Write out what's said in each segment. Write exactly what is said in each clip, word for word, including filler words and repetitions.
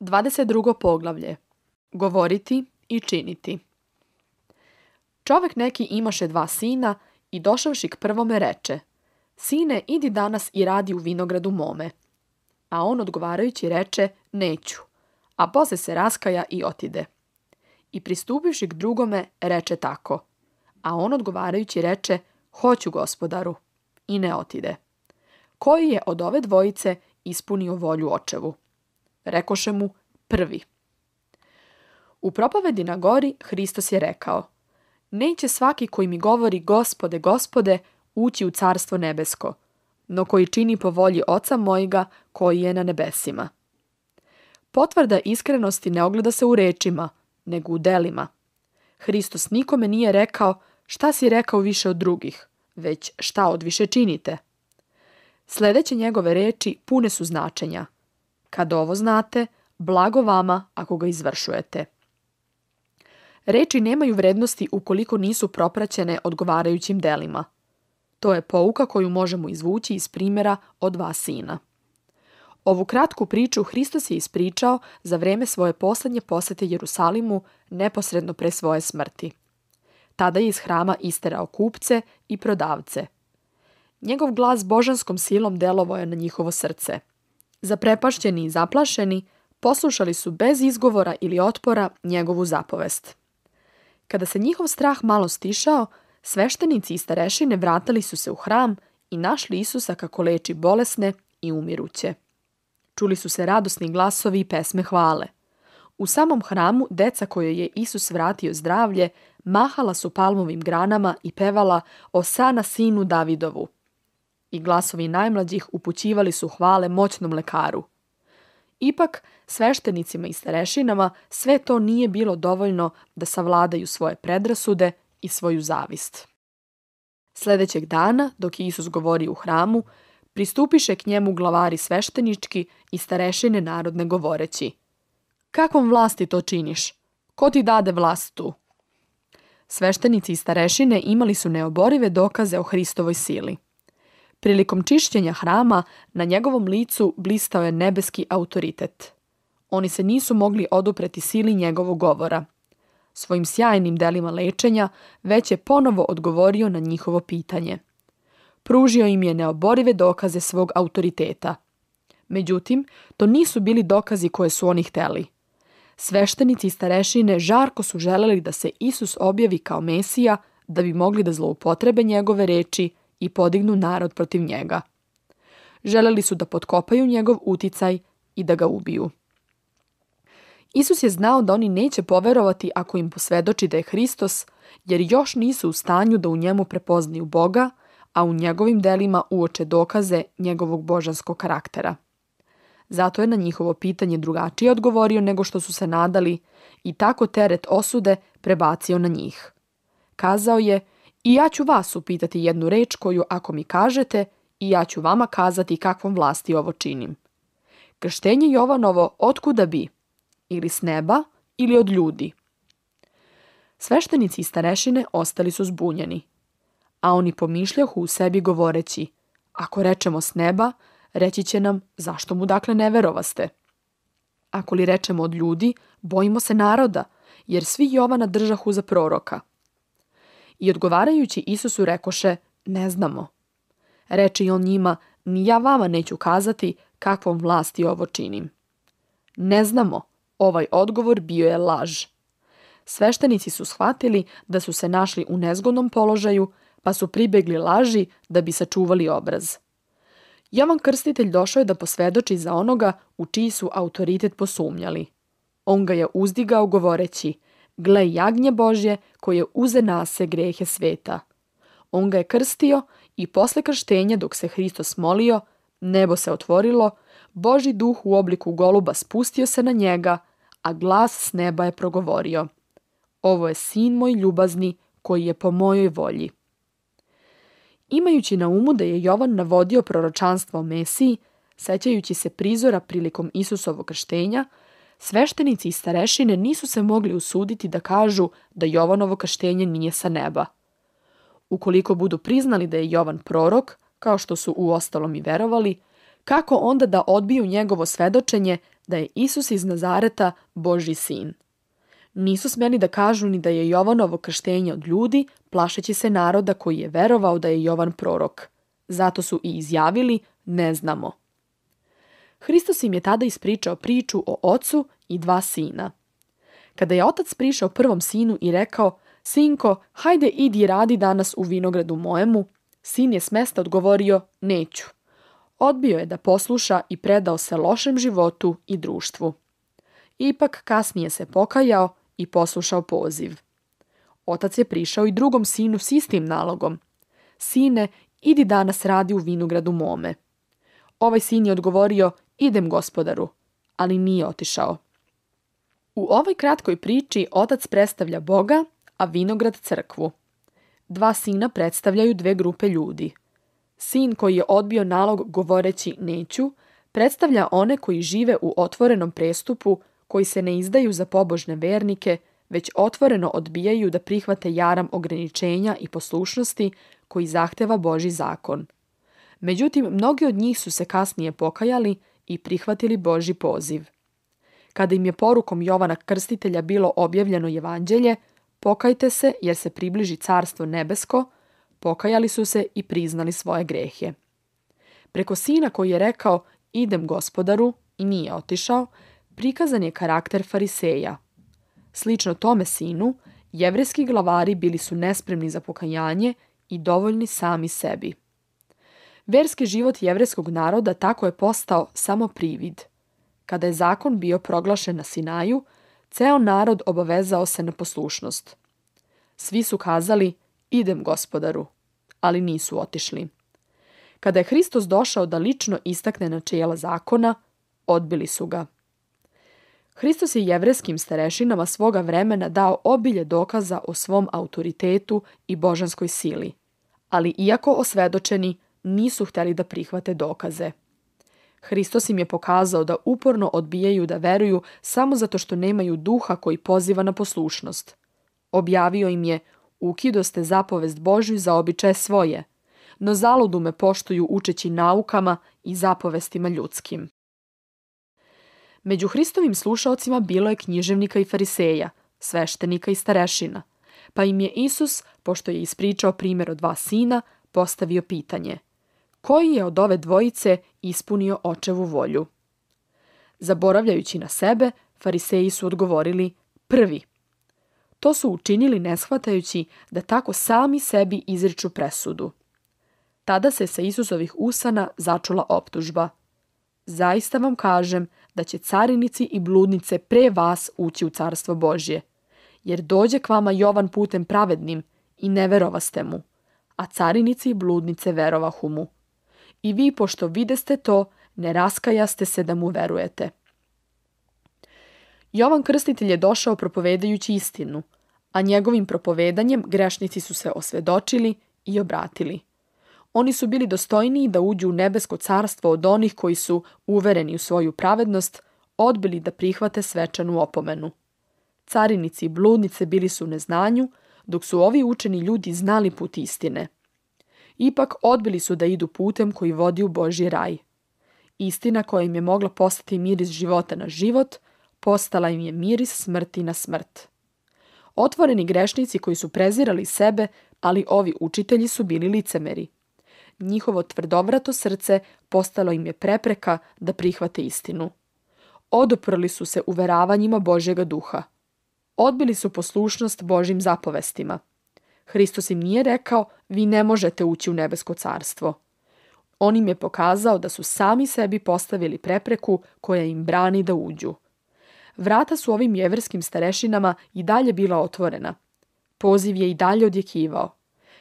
dvadeset drugo poglavlje. Govoriti i činiti. Čovek neki imaše dva sina i došavši k prvome reče: Sine, idi danas i radi u vinogradu mome. A on odgovarajući reče: Neću. A posle se raskaja i otide. I pristupivši k drugome reče tako. A on odgovarajući reče: Hoću, gospodaru. I ne otide. Koji je od ove dvojice ispunio volju očevu? Rekoše mu: Prvi. U propovedi na gori Hristos je rekao: Neće svaki koji mi govori Gospode, Gospode, ući u carstvo nebesko, no koji čini po volji Oca mojega koji je na nebesima. Potvrda iskrenosti ne ogleda se u rečima, nego u delima. Hristos nikome nije rekao: Šta si rekao više od drugih, već šta od više činite. Sledeće njegove reči pune su značenja. Kad ovo znate, blago vama ako ga izvršujete. Reči nemaju vrednosti ukoliko nisu propraćene odgovarajućim delima. To je pouka koju možemo izvući iz primjera o dva sina. Ovu kratku priču Hristos je ispričao za vreme svoje poslednje posete Jerusalimu neposredno pre svoje smrti. Tada je iz hrama isterao kupce i prodavce. Njegov glas božanskom silom delovao je na njihovo srce. Zaprepašćeni i zaplašeni, poslušali su bez izgovora ili otpora njegovu zapovest. Kada se njihov strah malo stišao, sveštenici i starešine vratili su se u hram i našli Isusa kako leči bolesne i umiruće. Čuli su se radosni glasovi i pesme hvale. U samom hramu deca kojoj je Isus vratio zdravlje mahala su palmovim granama i pevala Osana sinu Davidovu. I glasovi najmlađih upućivali su hvale moćnom lekaru. Ipak, sveštenicima i starešinama sve to nije bilo dovoljno da savladaju svoje predrasude i svoju zavist. Sledećeg dana, dok je Isus govorio u hramu, pristupiše k njemu glavari sveštenički i starešine narodne govoreći: Kakvom vlasti to činiš? Ko ti dade vlast tu? Sveštenici i starešine imali su neoborive dokaze o Hristovoj sili. Prilikom čišćenja hrama na njegovom licu blistao je nebeski autoritet. Oni se nisu mogli odupreti sili njegovog govora. Svojim sjajnim delima lečenja već je ponovo odgovorio na njihovo pitanje. Pružio im je neoborive dokaze svog autoriteta. Međutim, to nisu bili dokazi koje su oni hteli. Sveštenici i starešine žarko su želeli da se Isus objavi kao Mesija da bi mogli da zloupotrebe njegove reči i podignu narod protiv njega. Želeli su da potkopaju njegov uticaj i da ga ubiju. Isus je znao da oni neće poverovati ako im posvedoči da je Hristos, jer još nisu u stanju da u njemu prepoznaju Boga, a u njegovim delima uoče dokaze njegovog božanskog karaktera. Zato je na njihovo pitanje drugačije odgovorio nego što su se nadali i tako teret osude prebacio na njih. Kazao je: I ja ću vas upitati jednu reč koju ako mi kažete, i ja ću vama kazati kakvom vlasti ovo činim. Krštenje Jovanovo otkuda bi? Ili s neba, ili od ljudi? Sveštenici i starešine ostali su zbunjeni. A oni pomišljahu u sebi govoreći: Ako rečemo s neba, reći će nam: Zašto mu dakle ne verovaste? Ako li rečemo od ljudi, bojimo se naroda, jer svi Jovana držahu za proroka. I odgovarajući Isusu rekoše: Ne znamo. Reče i on njima: Ni ja vama neću kazati kakvom vlasti ovo činim. Ne znamo. Ovaj odgovor bio je laž. Sveštenici su shvatili da su se našli u nezgodnom položaju, pa su pribegli laži da bi sačuvali obraz. Jovan Krstitelj došao je da posvedoči za onoga u čiji su autoritet posumnjali. On ga je uzdigao govoreći: Gle jagnje Božje koje uze nase grehe sveta. On ga je krstio i posle krštenja dok se Hristos molio, nebo se otvorilo, Božji duh u obliku goluba spustio se na njega, a glas s neba je progovorio: Ovo je sin moj ljubazni koji je po mojoj volji. Imajući na umu da je Jovan navodio proročanstvo o Mesiji, sećajući se prizora prilikom Isusovog krštenja, sveštenici i starešine nisu se mogli usuditi da kažu da Jovanovo krštenje nije sa neba. Ukoliko budu priznali da je Jovan prorok, kao što su uostalom i verovali, kako onda da odbiju njegovo svedočenje da je Isus iz Nazareta Božji sin. Nisu smjeli da kažu ni da je Jovanovo krštenje od ljudi, plašeći se naroda koji je verovao da je Jovan prorok. Zato su i izjavili, ne znamo. Hristos im je tada ispričao priču o ocu i dva sina. Kada je otac prišao prvom sinu i rekao, sinko, hajde idi radi danas u vinogradu mojemu, sin je s mesta odgovorio, neću. Odbio je da posluša i predao se lošem životu i društvu. Ipak kasnije se pokajao i poslušao poziv. Otac je prišao i drugom sinu s istim nalogom. Sine, idi danas radi u vinogradu mome. Ovaj sin je odgovorio, idem gospodaru, ali nije otišao. U ovoj kratkoj priči otac predstavlja Boga, a vinograd crkvu. Dva sina predstavljaju dve grupe ljudi. Sin koji je odbio nalog govoreći neću, predstavlja one koji žive u otvorenom prestupu, koji se ne izdaju za pobožne vernike, već otvoreno odbijaju da prihvate jaram ograničenja i poslušnosti koji zahteva Božji zakon. Međutim, mnogi od njih su se kasnije pokajali i prihvatili Božji poziv. Kada im je porukom Jovana Krstitelja bilo objavljeno evanđelje, pokajte se jer se približi carstvo nebesko, pokajali su se i priznali svoje grehe. Preko sina koji je rekao, idem gospodaru, i nije otišao, prikazan je karakter fariseja. Slično tome sinu, jevrejski glavari bili su nespremni za pokajanje i dovoljni sami sebi. Verski život jevrejskog naroda tako je postao samo privid. Kada je zakon bio proglašen na Sinaju, ceo narod obavezao se na poslušnost. Svi su kazali, idem gospodaru, ali nisu otišli. Kada je Hristos došao da lično istakne načela zakona, odbili su ga. Hristos je jevrejskim starešinama svoga vremena dao obilje dokaza o svom autoritetu i božanskoj sili, ali iako osvedočeni, nisu htjeli da prihvate dokaze. Hristos im je pokazao da uporno odbijaju da veruju samo zato što nemaju duha koji poziva na poslušnost. Objavio im je, ukidoste zapovest Božju za običaje svoje, no zaludu me poštuju učeći naukama i zapovestima ljudskim. Među Hristovim slušaocima bilo je književnika i fariseja, sveštenika i starešina, pa im je Isus, pošto je ispričao primjer o dva sina, postavio pitanje: koji je od ove dvojice ispunio očevu volju? Zaboravljajući na sebe, fariseji su odgovorili prvi. To su učinili ne shvatajući da tako sami sebi izriču presudu. Tada se sa Isusovih usana začula optužba. Zaista vam kažem da će carinici i bludnice pre vas ući u carstvo Božje, jer dođe k vama Jovan putem pravednim i ne verovaste mu, a carinici i bludnice verovahu mu. I vi, pošto videste to, ne raskajaste se da mu verujete. Jovan Krstitelj je došao propovedajući istinu, a njegovim propovedanjem grešnici su se osvedočili i obratili. Oni su bili dostojniji da uđu u nebesko carstvo od onih koji su, uvereni u svoju pravednost, odbili da prihvate svečanu opomenu. Carinici i bludnice bili su u neznanju, dok su ovi učeni ljudi znali put istine. Ipak odbili su da idu putem koji vodi u Božji raj. Istina koja im je mogla postati miris života na život, postala im je miris smrti na smrt. Otvoreni grešnici koji su prezirali sebe, ali ovi učitelji su bili licemeri. Njihovo tvrdovrato srce postalo im je prepreka da prihvate istinu. Oduprli su se uveravanjima Božjega duha. Odbili su poslušnost Božjim zapovestima. Hristos im nije rekao, vi ne možete ući u nebesko carstvo. On im je pokazao da su sami sebi postavili prepreku koja im brani da uđu. Vrata su ovim jevrejskim starešinama i dalje bila otvorena. Poziv je i dalje odjekivao.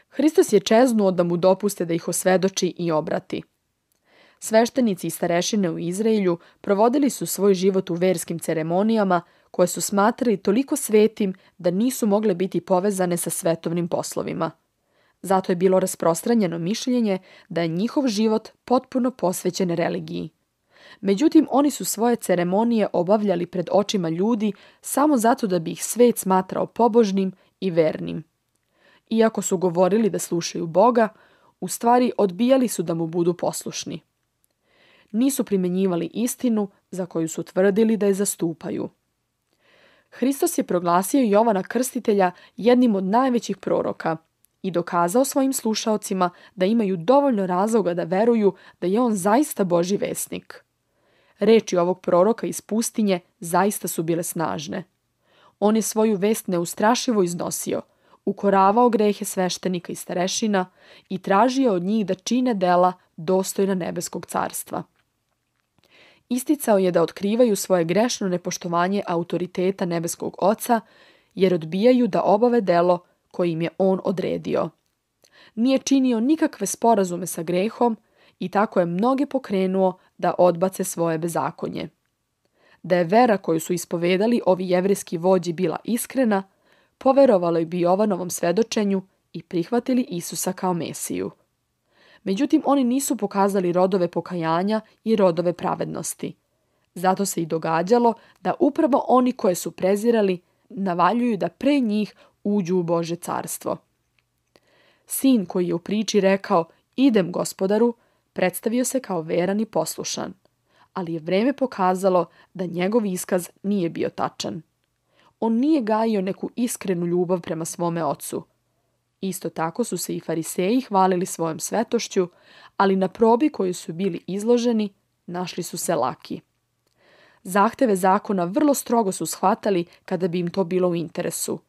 Hristos je čeznuo da mu dopuste da ih osvedoči i obrati. Sveštenici i starešine u Izraelju provodili su svoj život u verskim ceremonijama koje su smatrali toliko svetim da nisu mogle biti povezane sa svetovnim poslovima. Zato je bilo rasprostranjeno mišljenje da je njihov život potpuno posvećen religiji. Međutim, oni su svoje ceremonije obavljali pred očima ljudi samo zato da bi ih svet smatrao pobožnim i vernim. Iako su govorili da slušaju Boga, u stvari odbijali su da mu budu poslušni. Nisu primjenjivali istinu za koju su tvrdili da je zastupaju. Hristos je proglasio Jovana Krstitelja jednim od najvećih proroka i dokazao svojim slušaocima da imaju dovoljno razloga da veruju da je on zaista Božji vesnik. Reči ovog proroka iz pustinje zaista su bile snažne. On je svoju vest neustrašivo iznosio, ukoravao grehe sveštenika i starešina i tražio od njih da čine dela dostojna nebeskog carstva. Isticao je da otkrivaju svoje grešno nepoštovanje autoriteta nebeskog Oca, jer odbijaju da obave delo koje im je on odredio. Nije činio nikakve sporazume sa grehom i tako je mnoge pokrenuo da odbace svoje bezakonje. Da je vera koju su ispovedali ovi jevrejski vođi bila iskrena, poverovali bi Jovanovom svedočenju i prihvatili Isusa kao Mesiju. Međutim, oni nisu pokazali rodove pokajanja i rodove pravednosti. Zato se i događalo da upravo oni koje su prezirali navaljuju da pre njih uđu u Božje carstvo. Sin koji je u priči rekao idem gospodaru, predstavio se kao veran i poslušan, ali je vreme pokazalo da njegov iskaz nije bio tačan. On nije gajio neku iskrenu ljubav prema svome ocu. Isto tako su se i fariseji hvalili svojom svetošću, ali na probi koju su bili izloženi našli su se laki. Zahteve zakona vrlo strogo su shvatali kada bi im to bilo u interesu,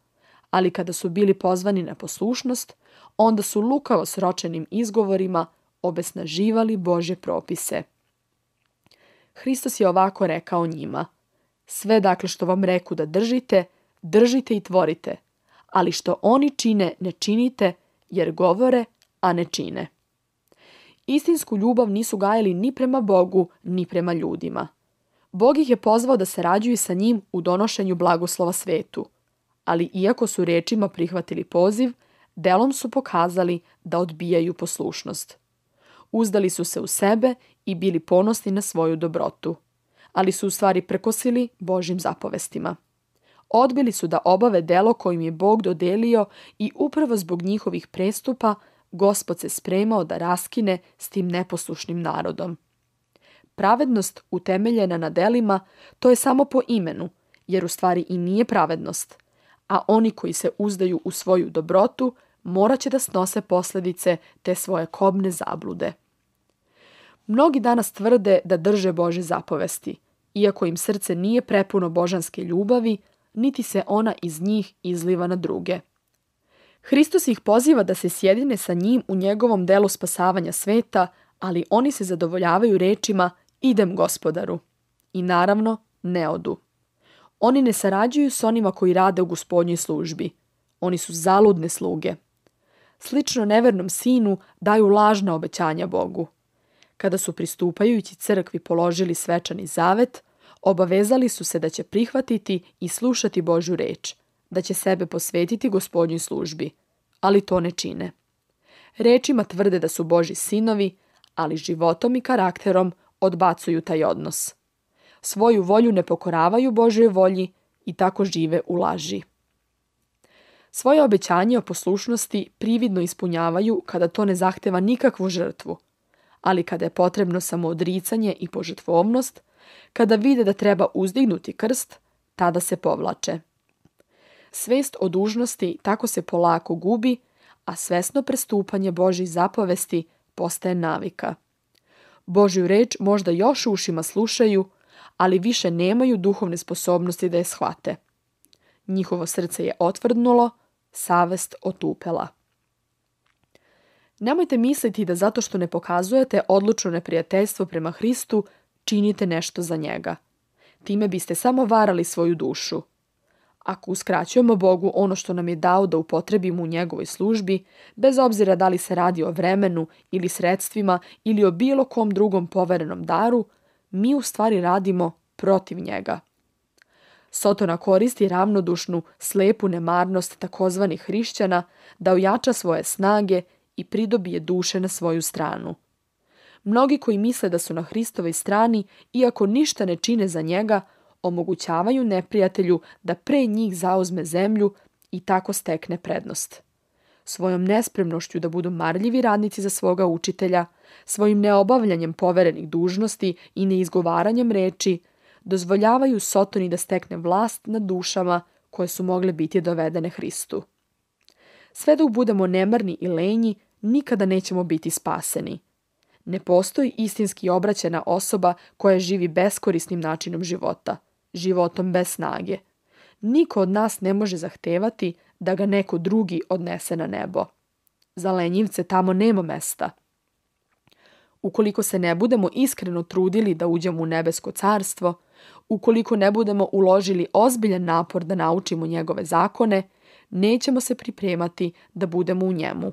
ali kada su bili pozvani na poslušnost, onda su lukavo sročenim izgovorima obesnaživali Božje propise. Hristos je ovako rekao njima: sve dakle što vam reku da držite, držite i tvorite, ali što oni čine ne činite, jer govore, a ne čine. Istinsku ljubav nisu gajili ni prema Bogu, ni prema ljudima. Bog ih je pozvao da sarađuju sa njim u donošenju blagoslova svetu, ali iako su rečima prihvatili poziv, delom su pokazali da odbijaju poslušnost. Uzdali su se u sebe i bili ponosni na svoju dobrotu, ali su u stvari prekosili Božjim zapovestima. Odbili su da obave delo kojim je Bog dodelio i upravo zbog njihovih prestupa Gospod se spremao da raskine s tim neposlušnim narodom. Pravednost utemeljena na delima, to je samo po imenu, jer u stvari i nije pravednost, a oni koji se uzdaju u svoju dobrotu morat će da snose posljedice te svoje kobne zablude. Mnogi danas tvrde da drže Božje zapovesti, iako im srce nije prepuno božanske ljubavi, niti se ona iz njih izliva na druge. Hristos ih poziva da se sjedine sa njim u njegovom delu spasavanja sveta, ali oni se zadovoljavaju rečima idem gospodaru. I naravno, ne odu. Oni ne sarađuju s onima koji rade u Gospodnjoj službi. Oni su zaludne sluge. Slično nevernom sinu daju lažna obećanja Bogu. Kada su pristupajući crkvi položili svečani zavet, obavezali su se da će prihvatiti i slušati Božju reč, da će sebe posvetiti Gospodnjoj službi, ali to ne čine. Rečima tvrde da su Božji sinovi, ali životom i karakterom odbacuju taj odnos. Svoju volju ne pokoravaju Božjoj volji i tako žive u laži. Svoje obećanje o poslušnosti prividno ispunjavaju kada to ne zahteva nikakvu žrtvu, ali kada je potrebno samo odricanje i požrtvovnost, kada vide da treba uzdignuti krst, tada se povlače. Svest o dužnosti tako se polako gubi, a svesno prestupanje Božjih zapovesti postaje navika. Božju reč možda još ušima slušaju, ali više nemaju duhovne sposobnosti da je shvate. Njihovo srce je otvrdnulo, savest otupela. Nemojte misliti da zato što ne pokazujete odlučno neprijateljstvo prema Hristu, činite nešto za njega. Time biste samo varali svoju dušu. Ako uskraćujemo Bogu ono što nam je dao da upotrebimo u njegovoj službi, bez obzira da li se radi o vremenu ili sredstvima ili o bilo kom drugom poverenom daru, mi u stvari radimo protiv njega. Sotona koristi ravnodušnu, slepu nemarnost takozvanih hrišćana da ojača svoje snage i pridobije duše na svoju stranu. Mnogi koji misle da su na Hristovoj strani, iako ništa ne čine za njega, omogućavaju neprijatelju da pre njih zauzme zemlju i tako stekne prednost. svojom nespremnošću da budu marljivi radnici za svoga učitelja, svojim neobavljanjem poverenih dužnosti i neizgovaranjem reči, dozvoljavaju Sotoni da stekne vlast nad dušama koje su mogle biti dovedene Hristu. Sve dok budemo nemarni i lenji, nikada nećemo biti spaseni. Ne postoji istinski obraćena osoba koja živi beskorisnim načinom života, životom bez snage. Niko od nas ne može zahtevati da ga neko drugi odnese na nebo. Za lenjivce tamo nema mesta. Ukoliko se ne budemo iskreno trudili da uđemo u nebesko carstvo, ukoliko ne budemo uložili ozbiljan napor da naučimo njegove zakone, nećemo se pripremati da budemo u njemu.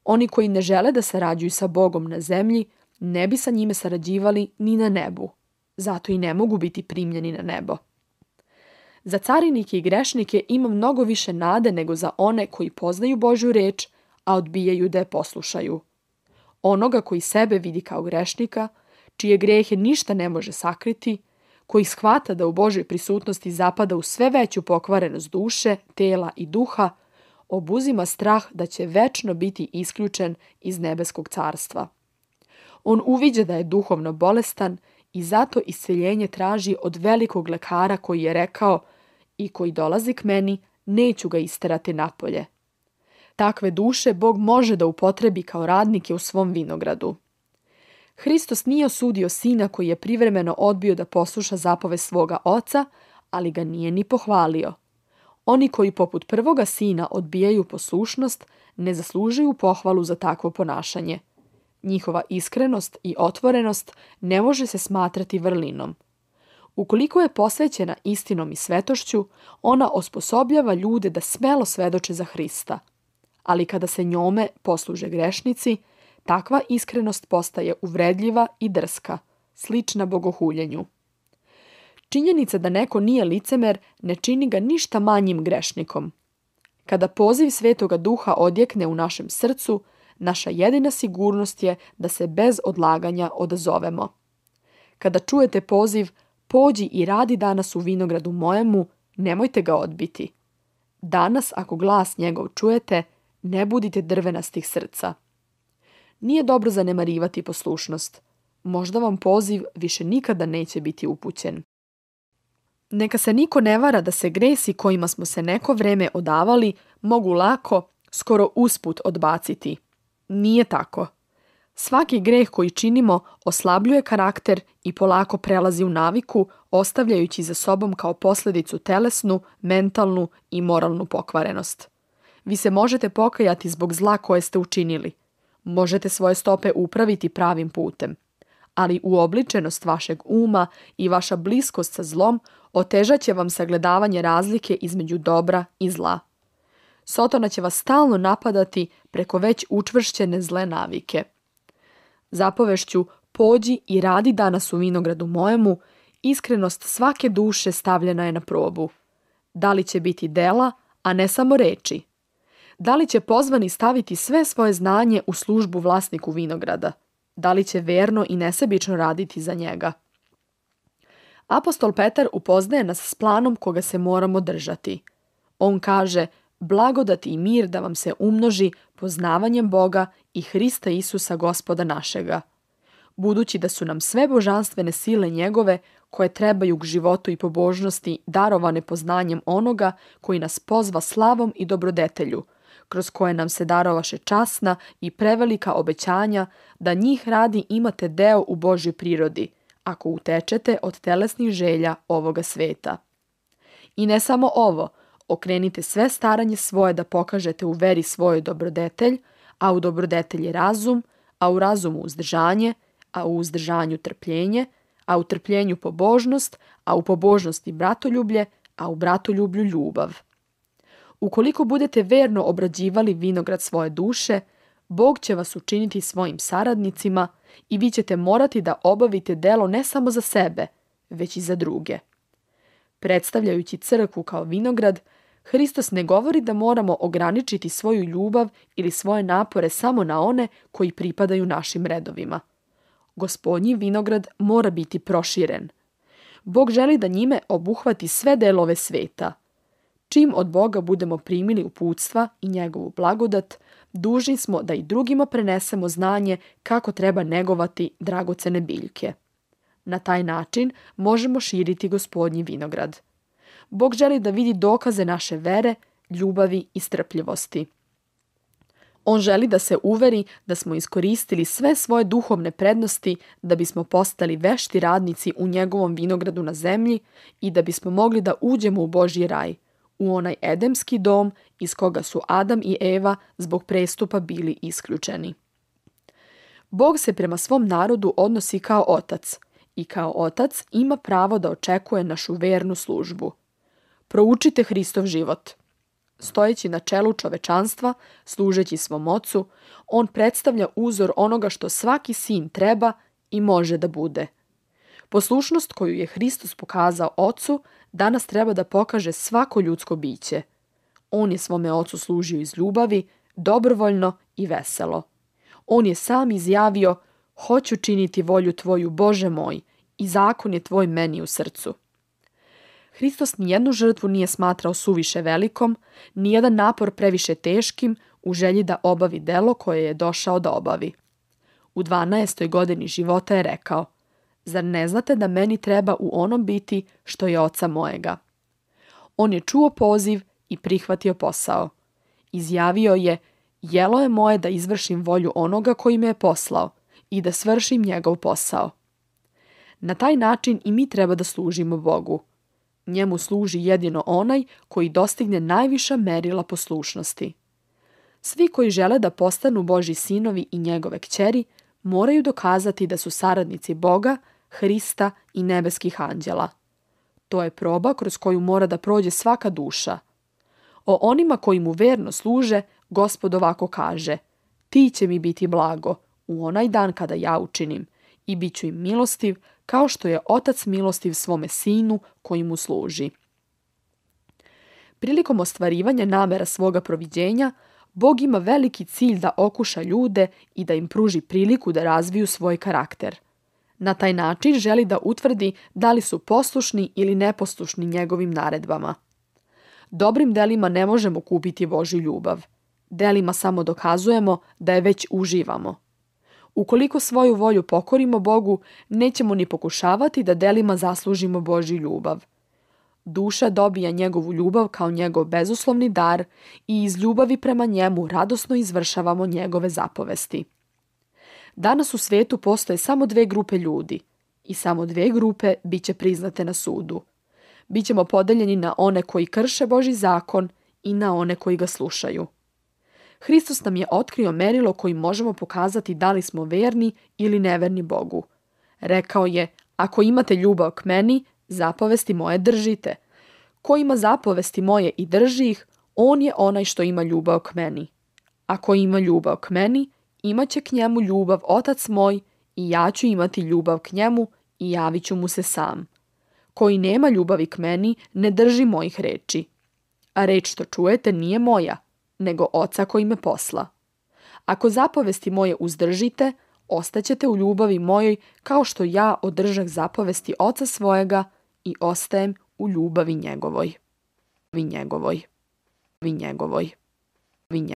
Oni koji ne žele da sarađuju sa Bogom na zemlji, ne bi sa njime sarađivali ni na nebu. Zato i ne mogu biti primljeni na nebo. Za carinike i grešnike ima mnogo više nade nego za one koji poznaju Božju reč, a odbijaju da je poslušaju. Onoga koji sebe vidi kao grešnika, čije grehe ništa ne može sakriti, koji shvata da u Božoj prisutnosti zapada u sve veću pokvarenost duše, tela i duha, obuzima strah da će večno biti isključen iz nebeskog carstva. On uviđa da je duhovno bolestan i zato isceljenje traži od velikog lekara koji je rekao: i koji dolazi k meni, neću ga isterati napolje. Takve duše Bog može da upotrebi kao radnike u svom vinogradu. Hristos nije osudio sina koji je privremeno odbio da posluša zapove svoga oca, ali ga nije ni pohvalio. Oni koji poput prvoga sina odbijaju poslušnost, ne zaslužuju pohvalu za takvo ponašanje. Njihova iskrenost i otvorenost ne može se smatrati vrlinom. Ukoliko je posvećena istinom i svetošću, ona osposobljava ljude da smelo svedoče za Hrista. Ali kada se njome posluže grešnici, takva iskrenost postaje uvredljiva i drska, slična bogohuljenju. Činjenica da neko nije licemer ne čini ga ništa manjim grešnikom. Kada poziv Svetoga Duha odjekne u našem srcu, naša jedina sigurnost je da se bez odlaganja odazovemo. Kada čujete poziv "Pođi i radi danas u vinogradu mojemu", nemojte ga odbiti. Danas, ako glas njegov čujete, ne budite drvenastih srca. Nije dobro zanemarivati poslušnost. Možda vam poziv više nikada neće biti upućen. Neka se niko ne vara da se gresi kojima smo se neko vreme odavali mogu lako, skoro usput odbaciti. Nije tako. Svaki greh koji činimo oslabljuje karakter i polako prelazi u naviku, ostavljajući za sobom kao posljedicu telesnu, mentalnu i moralnu pokvarenost. Vi se možete pokajati zbog zla koje ste učinili. Možete svoje stope upraviti pravim putem. Ali uobličenost vašeg uma i vaša bliskost sa zlom otežat će vam sagledavanje razlike između dobra i zla. Sotona će vas stalno napadati preko već učvršćene zle navike. Zapovešću "Pođi i radi danas u vinogradu mojemu", iskrenost svake duše stavljena je na probu. Da li će biti dela, a ne samo reči? Da li će pozvani staviti sve svoje znanje u službu vlasniku vinograda? Da li će verno i nesebično raditi za njega? Apostol Petar upoznaje nas s planom koga se moramo držati. On kaže: "Blagodat i mir da vam se umnoži poznavanjem Boga i Hrista Isusa Gospoda našega." Budući da su nam sve božanstvene sile njegove, koje trebaju k životu i pobožnosti, darovane poznanjem onoga koji nas pozva slavom i dobrodetelju, kroz koje nam se darovaše časna i prevelika obećanja da njih radi imate deo u Božjoj prirodi, ako utečete od telesnih želja ovoga sveta. I ne samo ovo, okrenite sve staranje svoje da pokažete u veri svoj dobrodetelj, a u dobrodetelji razum, a u razumu uzdržanje, a u uzdržanju trpljenje, a u trpljenju pobožnost, a u pobožnosti bratoljublje, a u bratoljublju ljubav. Ukoliko budete verno obrađivali vinograd svoje duše, Bog će vas učiniti svojim saradnicima i vi ćete morati da obavite delo ne samo za sebe, već i za druge. Predstavljajući crkvu kao vinograd, Hristos ne govori da moramo ograničiti svoju ljubav ili svoje napore samo na one koji pripadaju našim redovima. Gospodnji vinograd mora biti proširen. Bog želi da njime obuhvati sve delove sveta. Čim od Boga budemo primili uputstva i njegovu blagodat, dužni smo da i drugima prenesemo znanje kako treba negovati dragocene biljke. Na taj način možemo širiti Gospodnji vinograd. Bog želi da vidi dokaze naše vere, ljubavi i strpljivosti. On želi da se uveri da smo iskoristili sve svoje duhovne prednosti da bismo postali vešti radnici u njegovom vinogradu na zemlji i da bismo mogli da uđemo u Božji raj, u onaj edemski dom iz koga su Adam i Eva zbog prestupa bili isključeni. Bog se prema svom narodu odnosi kao otac i kao otac ima pravo da očekuje našu vernu službu. Proučite Hristov život. Stojeći na čelu čovečanstva, služeći svom ocu, on predstavlja uzor onoga što svaki sin treba i može da bude. Poslušnost koju je Hristos pokazao ocu danas treba da pokaže svako ljudsko biće. On je svome ocu služio iz ljubavi, dobrovoljno i veselo. On je sam izjavio: "Hoću činiti volju tvoju, Bože moj, i zakon je tvoj meni u srcu." Hristos nijednu žrtvu nije smatrao suviše velikom, nijedan napor previše teškim u želji da obavi delo koje je došao da obavi. U dvanaestoj godini života je rekao: "Zar ne znate da meni treba u onom biti što je oca mojega?" On je čuo poziv i prihvatio posao. Izjavio je: "Jelo je moje da izvršim volju onoga koji me je poslao i da svršim njegov posao." Na taj način i mi treba da služimo Bogu. Njemu služi jedino onaj koji dostigne najviša merila poslušnosti. Svi koji žele da postanu Božji sinovi i njegove kćeri moraju dokazati da su saradnici Boga, Hrista i nebeskih anđela. To je proba kroz koju mora da prođe svaka duša. O onima koji mu verno služe, Gospod ovako kaže: "Ti će mi biti blago u onaj dan kada ja učinim i bit ću im milostiv, kao što je otac milostiv svome sinu koji mu služi." Prilikom ostvarivanja namera svoga proviđenja, Bog ima veliki cilj da okuša ljude i da im pruži priliku da razviju svoj karakter. Na taj način želi da utvrdi da li su poslušni ili neposlušni njegovim naredbama. Dobrim delima ne možemo kupiti Božju ljubav. Delima samo dokazujemo da je već uživamo. Ukoliko svoju volju pokorimo Bogu, nećemo ni pokušavati da delima zaslužimo Božju ljubav. Duša dobija njegovu ljubav kao njegov bezuslovni dar i iz ljubavi prema njemu radosno izvršavamo njegove zapovesti. Danas u svetu postoje samo dve grupe ljudi i samo dve grupe bit će priznate na sudu. Bićemo podeljeni na one koji krše Božji zakon i na one koji ga slušaju. Hristos nam je otkrio merilo kojim možemo pokazati da li smo verni ili neverni Bogu. Rekao je: "Ako imate ljubav k meni, zapovesti moje držite. Ko ima zapovesti moje i drži ih, on je onaj što ima ljubav k meni. Ako ima ljubav k meni, imaće k njemu ljubav otac moj i ja ću imati ljubav k njemu i javit ću mu se sam. Koji nema ljubavi k meni, ne drži mojih reči. A reč što čujete nije moja, nego oca koji me posla. Ako zapovesti moje uzdržite, ostaćete u ljubavi mojoj kao što ja održah zapovesti oca svojega i ostajem u ljubavi njegovoj." Vi njegovoj. Vi njegovoj. Vi njegovoj.